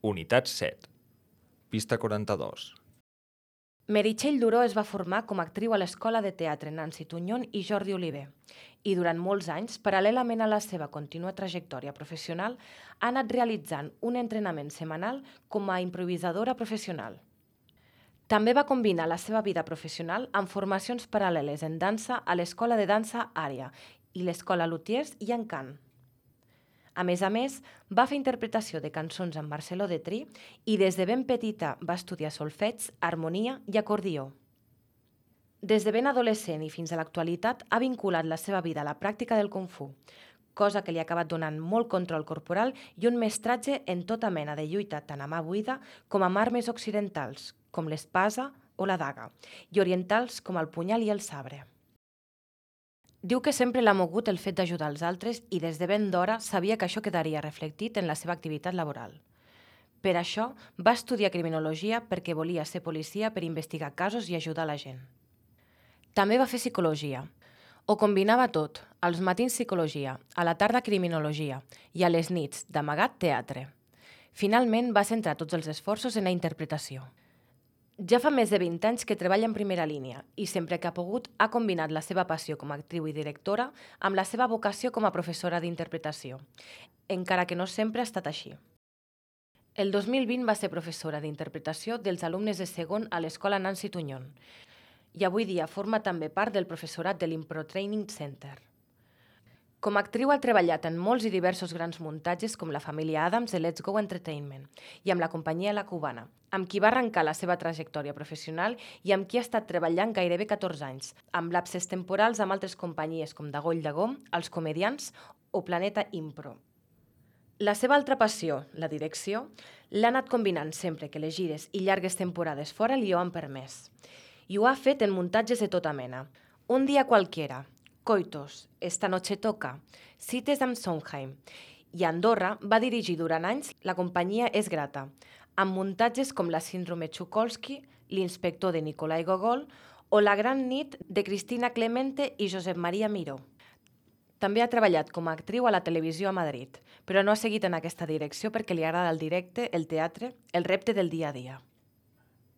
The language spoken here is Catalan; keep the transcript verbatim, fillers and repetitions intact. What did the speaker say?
Unitat set. Pista quaranta-dos. Meritxell Duró es va formar com a actriu a l'Escola de Teatre Nancy Tuñón i Jordi Oliver i durant molts anys, paral·lelament a la seva contínua trajectòria professional, ha anat realitzant un entrenament setmanal com a improvisadora professional. També va combinar la seva vida professional amb formacions paral·leles en dansa a l'Escola de Dansa Àrea i l'Escola Lutiers i en cant. A més a més, va fer interpretació de cançons amb Marcelo Detrí i des de ben petita va estudiar solfeig, harmonia i acordió. Des de ben adolescent i fins a l'actualitat ha vinculat la seva vida a la pràctica del Kung Fu, cosa que li ha acabat donant molt control corporal i un mestratge en tota mena de lluita tant a mà buida com amb armes occidentals, com l'espasa o la daga, i orientals com el punyal i el sabre. Diu que sempre l'ha mogut el fet d'ajudar els altres i des de ben d'hora sabia que això quedaria reflectit en la seva activitat laboral. Per això va estudiar criminologia perquè volia ser policia per investigar casos i ajudar la gent. També va fer psicologia. Ho combinava tot, als matins psicologia, a la tarda criminologia i a les nits, d'amagat, teatre. Finalment va centrar tots els esforços en la interpretació. Ja fa més de vint anys que treballa en primera línia i sempre que ha pogut ha combinat la seva passió com a actriu i directora amb la seva vocació com a professora d'interpretació, encara que no sempre ha estat així. El dos mil vint va ser professora d'interpretació dels alumnes de segon a l'Escola Nancy Tuñón i avui dia forma també part del professorat de l'Impro Training Center. Com a actriu ha treballat en molts i diversos grans muntatges com la família Addams de Let's Go Entertainment i amb la companyia La Cubana, amb qui va arrencar la seva trajectòria professional i amb qui ha estat treballant gairebé catorze anys, amb lapses temporals amb altres companyies com Dagoll Dagó, Els Comediants o Planeta Impro. La seva altra passió, la direcció, l'ha anat combinant sempre que les gires i llargues temporades fora li ho han permès. I ho ha fet en muntatges de tota mena. Un dia qualquiera, Coitos, Esta noche toca, Cites amb Sondheim i a Andorra va dirigir durant anys La companyia és grata, amb muntatges com La síndrome Txukolski, L'inspector de Nikolai Gogol o La gran nit de Cristina Clemente i Josep Maria Miró. També ha treballat com a actriu a la televisió a Madrid, però no ha seguit en aquesta direcció perquè li agrada el directe, el teatre, el repte del dia a dia.